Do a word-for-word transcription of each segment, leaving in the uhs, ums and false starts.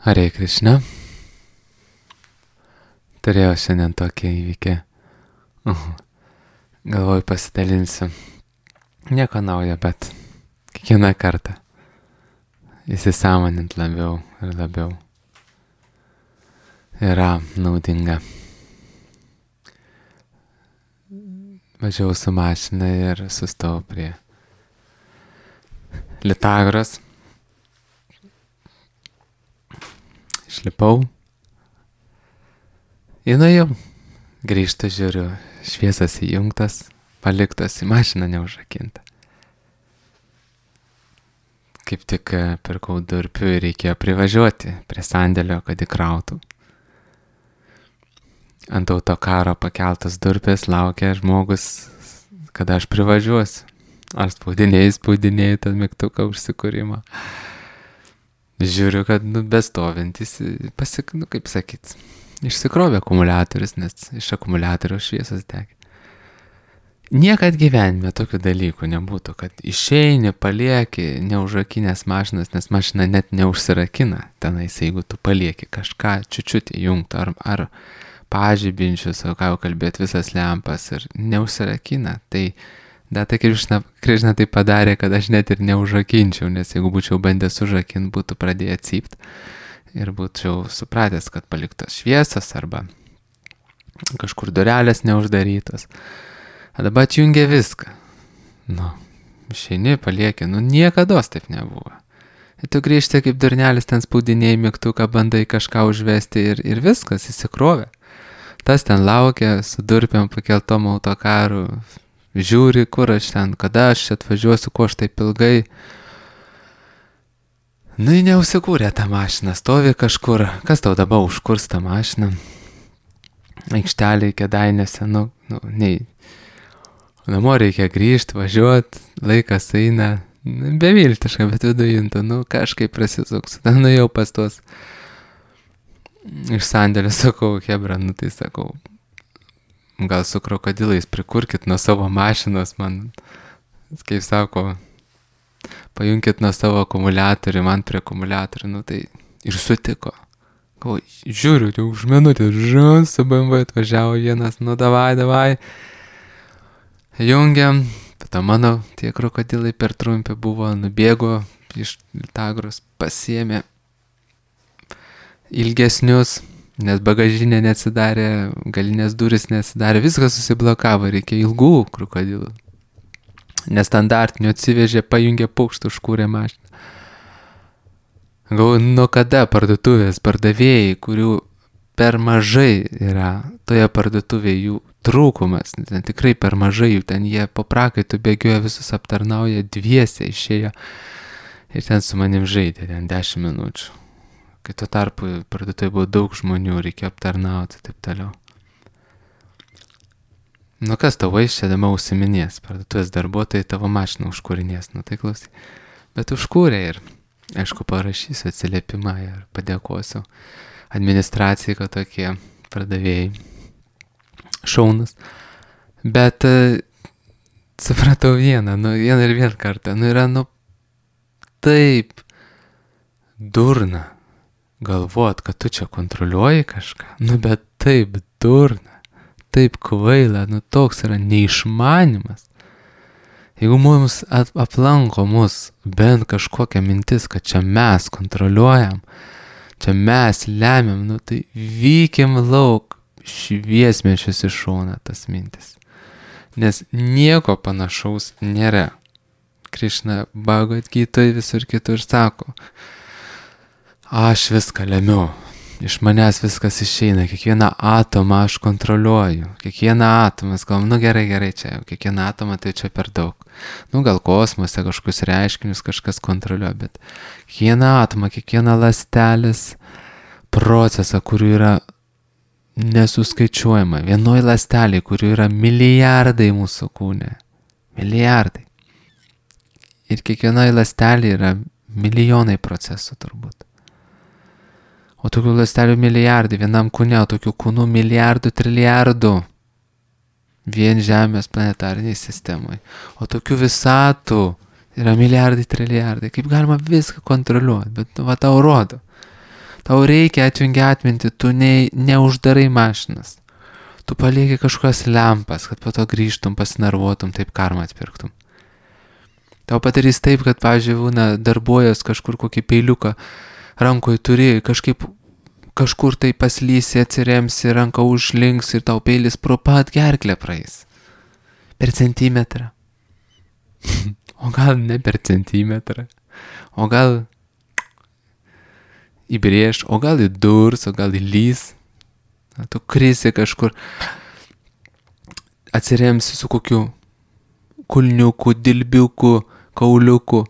Hare Krishna. Turėjau šiandien tokį įvykį. Uh, Galvoju pasidalinsiu. Nieko naujo, bet kiekvieną kartą įsisąmonint labiau ir labiau yra naudinga. Važiavau su mašina ir sustojau prie Litagros. Išlipau. Įnuėjau. Grįžtu, žiūriu, šviesas įjungtas, paliktas, į mašiną neužrakinta. Kaip tik pirkau durpių ir reikėjo privažiuoti prie sandėlio, kad įkrautų. Ant autokaro pakeltas durpės laukia žmogus, kada aš privažiuosiu. Ar spaudinėjai, spaudinėjai tą mygtuką užsikūrimą. Žiūriu, kad nu, bestovintis, pasik, nu, kaip sakyt, išsikrovė akumuliatorius, nes iš akumuliatoriaus šviesas degė. Niekad gyvenime tokių dalykų nebūtų, kad išeini, palieki neužrakinės mašinas, nes mašina net neužsirakina tenais, jeigu tu palieki kažką čiučiut įjungti, ar, ar pažibinčius, o ką jau kalbėti, visas lempas ir neužsirakina. Tai Data Krišna, Krišna tai padarė, kad aš net ir neužrakinčiau, nes jeigu būčiau bandęs užrakinti, būtų pradėję cypt ir būčiau supratęs, kad paliktos šviesas arba kažkur durelės neuždarytos. O dabar atjungė viską. Nu, išeini, palieki, nu niekados taip nebuvo. Ir tu grįžti kaip durnelis, ten spaudinėjai mygtuką, bandai kažką užvesti ir, ir viskas įsikrovė. Tas ten laukia su durpiam pakeltom autokaru. Žiūri, kur aš ten, kada aš atvažiuosiu, ko aš taip ilgai. Nu, neusikūrė tą mašiną, stovi kažkur. Kas tau dabar užkurs tą mašiną? Aikštelė Kėdainiuose, nu, nu, nei. Namo reikia grįžti, važiuoti, laikas eina. Beviltiška, bet vidujinta, nu, kažkaip prasisuks. Ten nuėjau pas tuos. Iš sandėlio sakau, Hebra, nu tai sakau. Gal su krokodilais prikurkit nuo savo mašinos, man, kaip sako, pajunkit nuo savo akumuliatorių, man prie akumuliatorių, nu tai ir sutiko. Gal, žiūriu, jau už minutę, žun, su B M W atvažiavo vienas, nu davai, davai. Jungiam, tada mano tie krokodilai per trumpi buvo, nubėgo iš Litagros, pasiėmė ilgesnius, nes bagažinė neatsidarė, galinės durys neatsidarė, viskas susiblokavo, reikia ilgų krokodilų. Nestandartinių atsivežė, pajungė pukštą, užkūrė mašiną. Galvoju, nuo kada parduotuvės pardavėjai, kurių per mažai yra toje parduotuvėje jų trūkumas, ten tikrai per mažai jų, ten jie po prakaitų bėgioja, visus aptarnauja, dviese išėjo ir ten su manim žaidė, ten dešimt minučių. Kai tuo tarpu parduotuvėje buvo daug žmonių, reikėjo aptarnauti, taip toliau. Nu kas tavo išėdama užsiminės, parduotuvės darbuotojai tavo mašiną užkūrinės, nu tai klausy. Bet užkūrė ir, aišku, parašysiu atsiliepimą ir padėkosiu administracijai, kad tokie pardavėjai šaunus. Bet supratau vieną, nu vieną ir vieną kartą, nu yra, nu taip durna. Galvot, kad tu čia kontroliuoji kažką, nu bet taip durna, taip kvaila, nu toks yra neišmanimas. Jeigu mums aplanko mus bent kažkokia mintis, kad čia mes kontroliuojam, čia mes lemiam, nu tai vykim lauk, šviesmečius iš šoną tas mintis. Nes nieko panašaus nėra. Krišna Bhagavad Gitoj visur kitur sako, aš viską lemiu, iš manęs viskas išeina, kiekvieną atomą aš kontroliuoju, kiekvieną atomą, galvom, nu gerai, gerai čia, jau kiekvieną atomą tai čia per daug. Nu gal kosmose kažkokius reiškinius kažkas kontroliuoja, bet kiekvieną atomą, kiekvieną ląstelės procesą, kurių yra nesuskaičiuojama, vienoj ląstelėj, kurių yra milijardai mūsų kūne, milijardai. Ir kiekvienoj ląstelėj yra milijonai procesų turbūt. O tokių ląstelių milijardai, vienam kūne, o tokių kūnų milijardų, trilijardų vien Žemės planetariniai sistemoje. O tokių visatų yra milijardai, trilijardai. Kaip galima viską kontroliuoti, bet va tau rodo. Tau reikia atjungi atminti, tu ne, neuždarai mašinas. Tu palieki kažkokias lempas, kad po to grįžtum, pasinervuotum, taip karmą atpirktum. Tau padarys taip, kad, pavyzdžiui, būna darbuojas kažkur kokį peiliuką rankoje turi, kažkaip kažkur tai paslysi, atsiremsi, ranką užlinks ir tau peilis pro pat gerklę praeis. Per centimetrą. O gal ne per centimetrą. O gal įbrėž, o gal įdurs, o gal įlys. Tu krisi kažkur, atsiremsi su kokiu kulniuku, dilbiuku, kauliuku,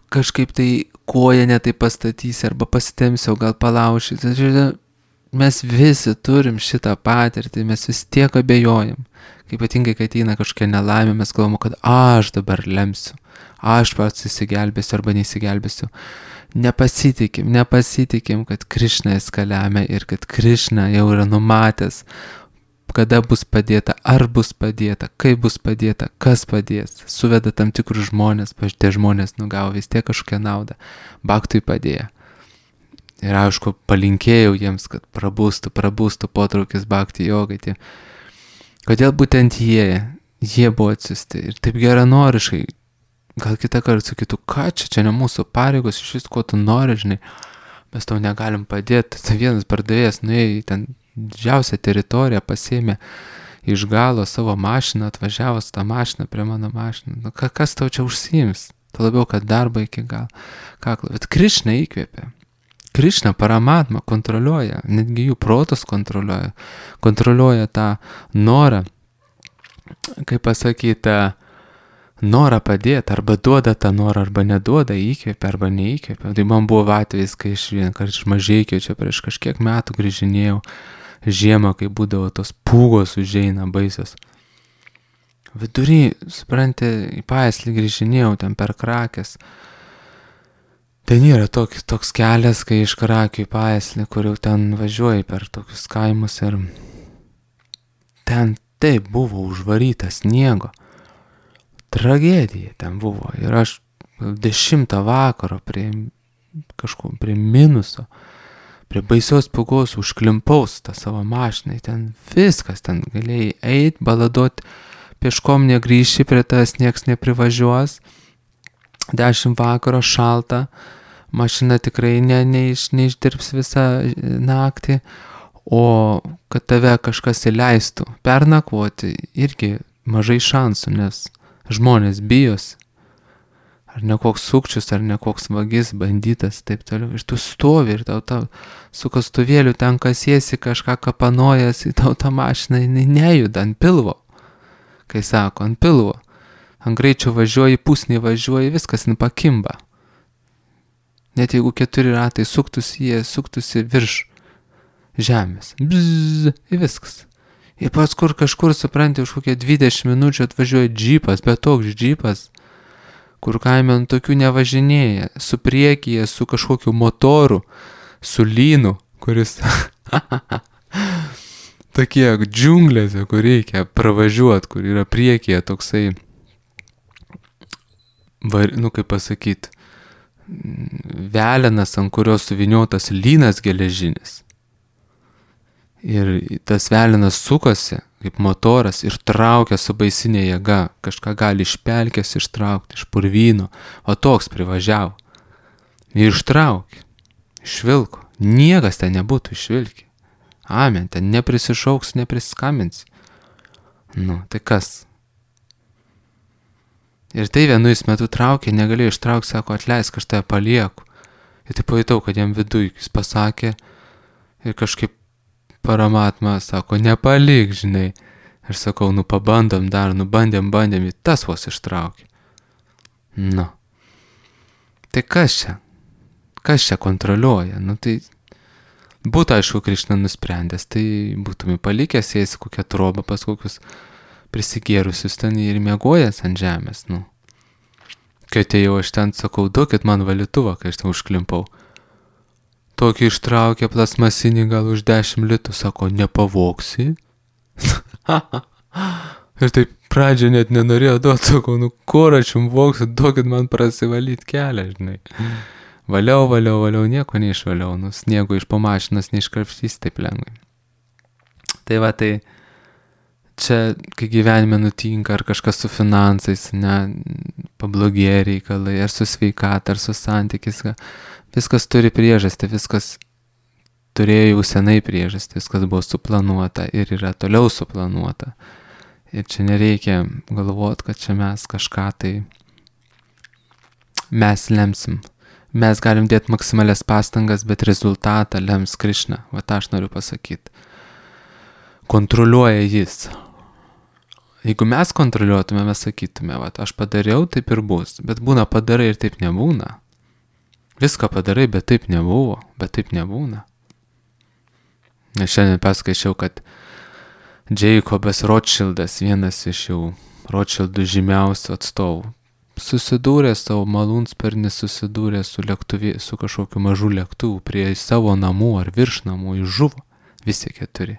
kažkaip tai koją netai pastatysi arba pasitemsi, o gal palauši. Mes visi turim šitą patirtį, mes vis tiek abejojam. Kaip ypatingai, kai ateina kažkokia nelaimė, mes galvom, kad aš dabar lemsiu, aš pats įsigelbėsiu arba neįsigelbėsiu. Nepasitikim, nepasitikim, kad Krišna eskalėme ir kad Krišna jau yra numatęs, kada bus padėta, ar bus padėta, kaip bus padėta, kas padės. Suveda tam tikrus žmonės, tie žmonės nugavo vis tiek kažkokią naudą. Baktui padėjo. Ir aišku, palinkėjau jiems, kad prabūstų, prabūstų potraukis bakti jogai. Tie. Kodėl būtent jie, jie buvo atsiusti ir taip geranoriškai. Gal kitą kartą sakytų, ką čia, čia ne mūsų pareigos, iš vis ko tu nori, žinai, mes tau negalim padėti. Tai vienas pardavėjas nuėjo į ten didžiausią teritoriją, pasėmė iš galo savo mašiną, atvažiavo su tą mašiną prie mano mašiną. Nu, kas tau čia užsiims? Tai labiau, kad darbą iki gal. Kaklo. Bet Krišna įkvėpė. Krišna Paramatma kontroliuoja, netgi jų protus kontroliuoja. Kontroliuoja tą norą, kaip pasakyti, norą padėti, arba duoda tą norą, arba neduoda, įkvėpia, arba neįkvėpia. Tai man buvo atvejis, kai aš vieną kartą iš Mažeikio čia prieš kažkiek metų grįžinėjau žiemą, kai būdavo tos pūgos užeina baisios. Vidury, supranti, į Paeslį grįžinėjau ten per Krakės. Ten yra toks, toks kelias, kai iš Krakių į Paeslį, kur jau ten važiuoji per tokius kaimus ir ten taip buvo užvaryta sniego. Tragedija ten buvo ir aš dešimtą vakaro prie kažko, prie minuso, prie baisios pūgos užklimpaus tą savo mašiną, ten viskas, ten galėjai eit, baladot, pieškom negrįši, prie tas nieks neprivažiuos, dešimt vakaro šalta, mašina tikrai ne, neiš, neišdirbs visą naktį, o kad tave kažkas įleistų pernakvoti, irgi mažai šansų, nes žmonės bijos, ar ne koks sukčius, ar ne koks vagis, bandytas, taip toliau. Ir tu stovi ir tau, tau su kastuvėliu ten kasiesi, kažką kapanojas, į tau tą mašiną, jinai nejuda ant pilvo. Kai sako, ant pilvo. Ant greičio važiuoji, pusnį važiuoji, viskas nepakimba. Net jeigu keturi ratai suktųsi, jie suktųsi virš žemės. Bzzz, ir viskas. Ir pats kur kažkur, supranti, už kokią dvidešimt minučių atvažiuoja džipas, bet toks džipas, kur kaime ant tokių nevažinėja, su priekyje, su kažkokiu motoru, su lynu, kuris tokie džiunglėse, kur reikia pravažiuoti, kur yra priekyje toksai, var, nu kaip pasakyti, velenas, ant kurios suviniotas lynas geležinis. Ir tas velinas sukasi kaip motoras ir traukia su baisinė jėga, kažką gali iš pelkės ištraukti, iš purvyno, o toks privažiavo. Ir ištraukė, išvilko, niekas ten nebūtų išvilkė. Amen, ten neprisišauks, neprisiskambins. Nu, tai kas? Ir tai vienu jis metu traukė, negalėjo ištraukti, sako, atleisk, aš tave palieku. Ir tai pajutau, kad jam viduj jis pasakė ir kažkaip Paramatma sako, nepalik, žinai. Aš sakau, nu pabandom dar, nu bandėm, bandėm, ir tas vos ištraukė. Nu. Tai kas čia? Kas čia kontroliuoja? Nu tai būtų, aišku, Krišna nusprendęs, tai būtumai palikęs, jais kokią trobą pas kokius prisigėrusius ten ir miegojęs ant žemės, nu. Kai atėjau aš ten, sakau, duokit man valytuvą, kai aš ten užklimpau. Tokį ištraukė plasmasinį gal už dešimt litų, sako, nepavoksi. Ir taip pradžią net nenorėjo duoti, sakau, nu kur aš jums voksiu, duokit man prasivalyti kelią, žinai. Valiau, valiau, valiau, nieko neišvaliau, nu, sniego iš po mašinos neiškrapštys taip lengvai. Tai va, tai čia, kai gyvenime nutinka, ar kažkas su finansais, ne, pablogėja reikalai, ar su sveikata, ar su santykis, viskas turi priežastį, viskas turėjo jau senai priežastį, viskas buvo suplanuota ir yra toliau suplanuota. Ir čia nereikia galvoti, kad čia mes kažką tai mes lemsim. Mes galim dėti maksimalias pastangas, bet rezultatą lems Krišna. Va tą aš noriu pasakyti. Kontroliuoja jis. Jeigu mes kontroliuotume, mes sakytume, va, aš padariau, taip ir bus. Bet būna padarai ir taip nebūna. Viską padarai, bet taip nebuvo, bet taip nebūna. Nes šiandien paskaičiau, kad Jacobas Rothschildas, vienas iš jau Rothschildų žymiausių atstovų, susidūrė savo malūnsparnį, susidūrė su lėktuvė, su kažkokiu mažu lėktuvu prie savo namų ar virš namų, jis žuvo, visi keturi,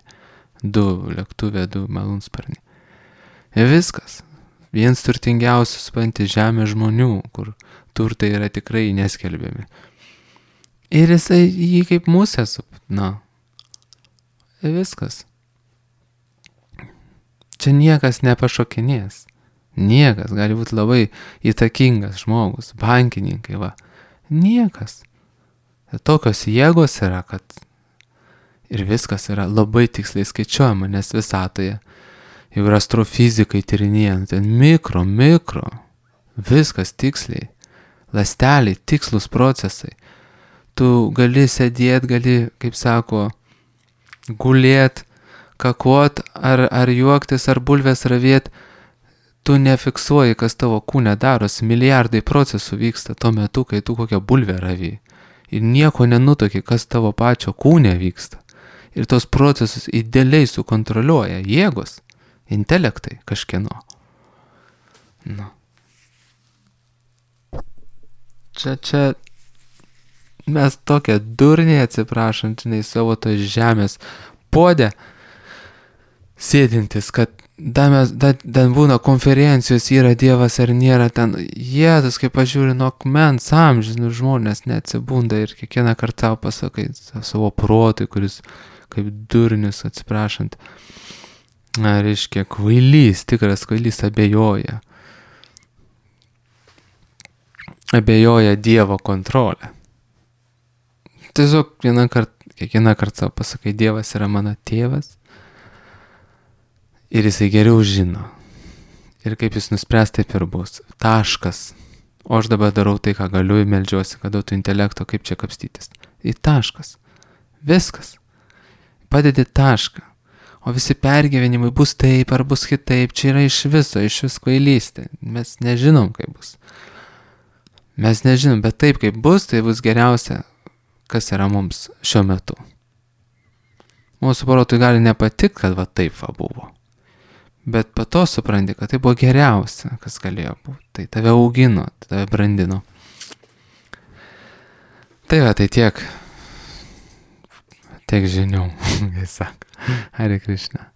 du lėktuvė, du malūnsparnį. Ir viskas, viens turtingiausių supranti žemė žmonių, kur turtai yra tikrai neskelbiami. Ir jisai jį kaip musė, na, ir viskas. Čia niekas nepašokinės. Niekas, gali būti labai įtakingas žmogus, bankininkai, va. Niekas. Tokios jėgos yra, kad ir viskas yra labai tiksliai skaičiuojama, nes visatoje jau yra astrofizikai tyrinėjant, ten mikro, mikro, viskas tiksliai, ląsteliai, tikslus procesai. Tu gali sėdėti, gali, kaip sako, gulėti, kakuot, ar, ar juoktis, ar bulvės ravėti. Tu nefiksuoji, kas tavo kūne darosi, milijardai procesų vyksta tuo metu, kai tu kokią bulvę ravį. Ir nieko nenutoki, kas tavo pačio kūne vyksta. Ir tos procesus idealiai sukontroliuoja jėgos, intelektai kažkieno. Nu. Čia, čia mes tokie durniai, atsiprašant, žinai, savo tos žemės podė sėdintis, kad da mes, da, ten būna konferencijos, yra Dievas ar nėra ten, Jėzus, kaip aš žiūriu, nuo akmens amžinų žmonės neatsibunda ir kiekvieną kartą savo pasakai savo protui, kuris kaip durnius, atsiprašant, na, reiškia, kvailys, tikras kvailys abejoja. Abejoja Dievo kontrolę. Tiesiog vieną kartą, kiekvieną kartą savo pasakai, Dievas yra mano tėvas. Ir jisai geriau žino. Ir kaip jis nuspręs, taip ir bus. Taškas. O aš dabar darau tai, ką galiu, ir meldžiuosi, kad duotų intelekto, kaip čia kapstytis. Į taškas. Viskas. Padedi tašką. O visi pergyvenimai bus taip ar bus kitaip. Čia yra iš viso, iš vis kvailystė. Mes nežinom, kaip bus. Mes nežinom, bet taip, kaip bus, tai bus geriausia, kas yra mums šiuo metu. Mūsų protui gali nepatikti, kad va taip va buvo. Bet po to supranti, kad tai buvo geriausia, kas galėjo būti. Tai tave augino, tave brandino. Tai va, tai tiek. Tiek žinių, kaip sako. Hare Krishna.